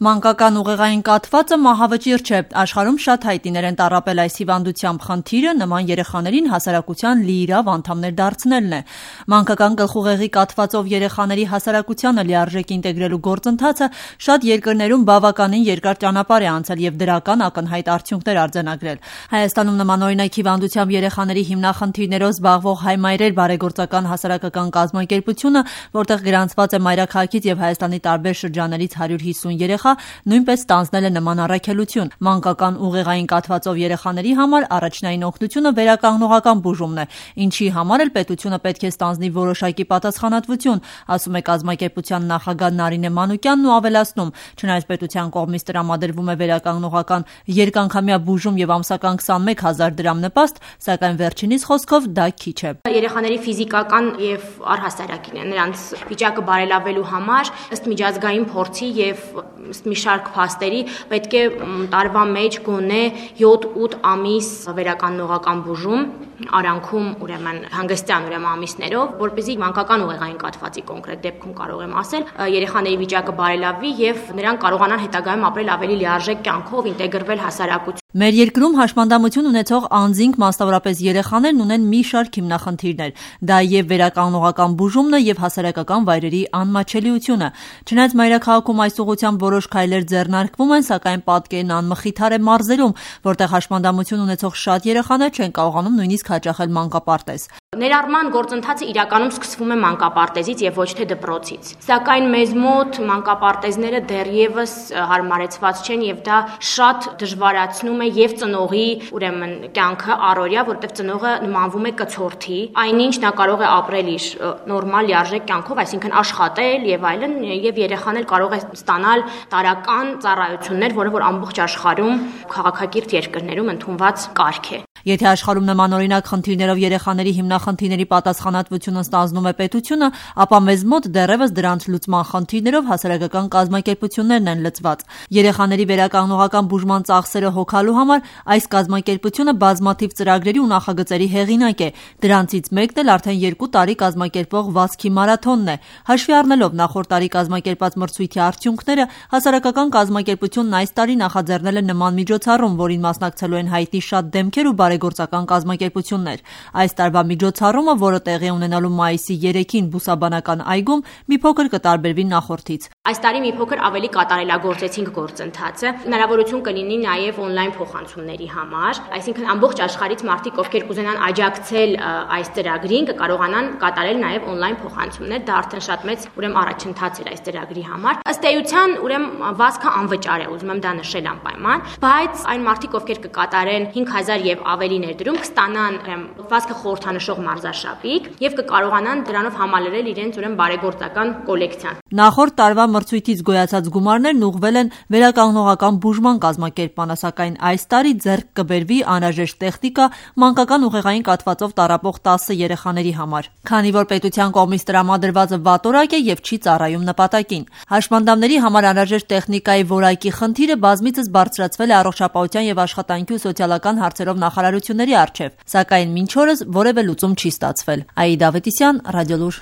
Մանկական ուղեղային կաթվածը մահավճիռ չէ։ Աշխարհում շատ հայտիներ են տառապել այս հիվանդությամբ, խնդիրը նման երեխաներին հասարակության լիիրավ անդամներ դարձնելն է։ Մանկական գլխուղեղի կաթվածով երեխաների հասարակությանը լիարժեք ինտեգրելու գործընթացը շատ երկրներում բավականին երկար ճանապարհ է անցել եւ դրական ակնհայտ արդյունքներ արձանագրել։ Հայաստանում նմանօրինակ հիվանդությամբ երեխաների հիմնախնդիրներով զբաղվող Հայ մայրեր բարեգործական հասարակական կազմակերպությունը, որտեղ գրանցված է մայրաքաղաքից եւ Հայաստանի տարբեր շրջաններից 150 երեխա, նույնպես ստանձնել է նման առաքելություն։ Մանկական ուղեղային կաթվածով երեխաների համար առաջնային օգնությունը վերականգնողական բուժումն է, ինչի համար էլ պետությունը պետք է ստանձնի որոշակի պատասխանատվություն, ասում է կազմակերպության նախագահ Նարինե Մանուկյանն ու ավելացնում, չնայած պետության կողմից տրամադրվում է վերականգնողական երկանգամյա բուժում եւ ամսական 21 000 դրամ նպաստ, սակայն վերջինիս խոսքով դա քիչ է։ Երեխաների ֆիզիկական եւ առհասարակին նրանց վիճակը բարելավելու համար ըստ միջազգային փորձի եւ մի շարք փաստերի պետք է տարվա մեջ գոնե 7-8 ամիս վերականգնողական բուժում արանքում ուրեմն հանգստյան ամիսներով, որպեսզի մանկական ուղեղային կաթվածի կոնկրետ դեպքում կարող եմ ասել, երեխաների վիճակը բարելավի եւ նրանք կարողանան հետագայում ապրել ավելի լիարժեք կյանքով, ինտեգրվել հասարակություն։ Մեր երկրում հաշմանդամություն ունեցող անձինք, մասնավորապես երեխաներն, ունեն մի շարք հիմնախնդիրներ։ Դա եւ վերականգնողական բուժումն է եւ հասարակական վայրերի անմատչելիությունը։ Չնայած մայրաքաղաքում այս ուղղությամբ որոշ քայլեր ձեռնարկվում են, սակայն պատկերն անմխիթար է մարզերում, որտեղ հաշմանդամություն ունեցող շատ երեխաներ չեն կարողանում նույնիսկ հաճախել մանկապարտեզ։ Ներառման գործընթացը իրականում սկսվում է մանկապարտեզից եւ ոչ թե դպրոցից։ Սակայն մեզ մոտ մանկապարտեզները դեռևս հարմարեցված չեն եւ դա շատ դժվարացնում է եւ ծնողի ուրեմն կյանքը առօրյա, որտեղ ծնողը նմանվում է կցորդի, այնինչ նա կարող է ապրել իր նորմալ լիարժեք կյանքով, այսինքն աշխատել եւ այլն, եւ երեխան էլ կարող է ստանալ տարրական ծառայություններ, որը որ ամբողջ աշխարհում քաղաքակիրթ երկրներում ընդունված կարգ է։ Եթե աշխարհում նմանօրինակ խնդիրներով երեխաների հիմնախնդիրների պատասխանատվությունը ստանձնում է պետությունը, ապա մեզ մոտ դեռևս դրանց լուծման խնդիրներով հասարակական կազմակերպություններն են լծված։ Երեխաների վերականգնողական բուժման ծախսերը հոգալու համար այս կազմակերպությունը բազմաթիվ ծրագրերի ու նախագծերի հեղինակ է։ Դրանցից մեկն էլ արդեն 2 տարի կազմակերպվող վազքի մարաթոնն է։ Հաշվի առնելով նախորդ տարի կազմակերպած մրցույթի արդյունքները, հասարակական կազմակերպությունն այս տարի նախաձեռնել է նման միջոցառում, որին մասնակցելու են հայտնի շատ դեմքեր ու բարեգործական կազմակերպություններ։ Այս տարվա միջոցառումը, որը տեղի ունենալու մայիսի 3-ին Բուսաբանական այգում, մի փոքր կտարբերվի նախորդից։ Այս տարի մի փոքր ավելի կատարելագործեցինք գործընթացը։ Հնարավորություն կլինի նաև on-line փոխանցումների համար, այսինքն ամբողջ աշխարհից մարդիկ, ովքեր կուզենան աջակցել այս ծրագրին, կկարողանան կատարել նաև on-line փոխանցումներ։ Դա արդեն շատ մեծ առաջընթաց էր այս ծրագրի համար։ Ըստ էության, վազքը անվճար է, ուզում եմ դա նշել անպայման, բայց այն մարդիկ, ովքեր կկատարեն 5000 եւ ավելի ներդրում, կստանան վազքը խորհրդանշող մարզաշապիկ եւ կկարողանան դրանով համալրել իրենց բարեգործական կոլեկցիան։ Նախորդ տարվա մրցույթից գոյացած գումարներն ուղղվել են վերականգնողական բուժման կազմակերպմանը, սակայն այս տարի ձեռք կբերվի անհրաժեշտ տեխնիկա մանկական ուղեղային կաթվածով տառապող 10 երեխաների համար, քանի որ պետության կողմից տրամադրվածը վատորակ է եւ չի ծառայում նպատակին։ Հաշմանդամների համար անհրաժեշտ տեխնիկայի որակի խնդիրը բազմիցս բարձրացվել է Առողջապահության եւ Աշխատանքի ու սոցիալական հարցերով նախարարությունների առջև, սակայն մինչ օրս որևէ լուծում չի ստացվել։ Աիդա Ավետիսյան, Ռադիոլուր։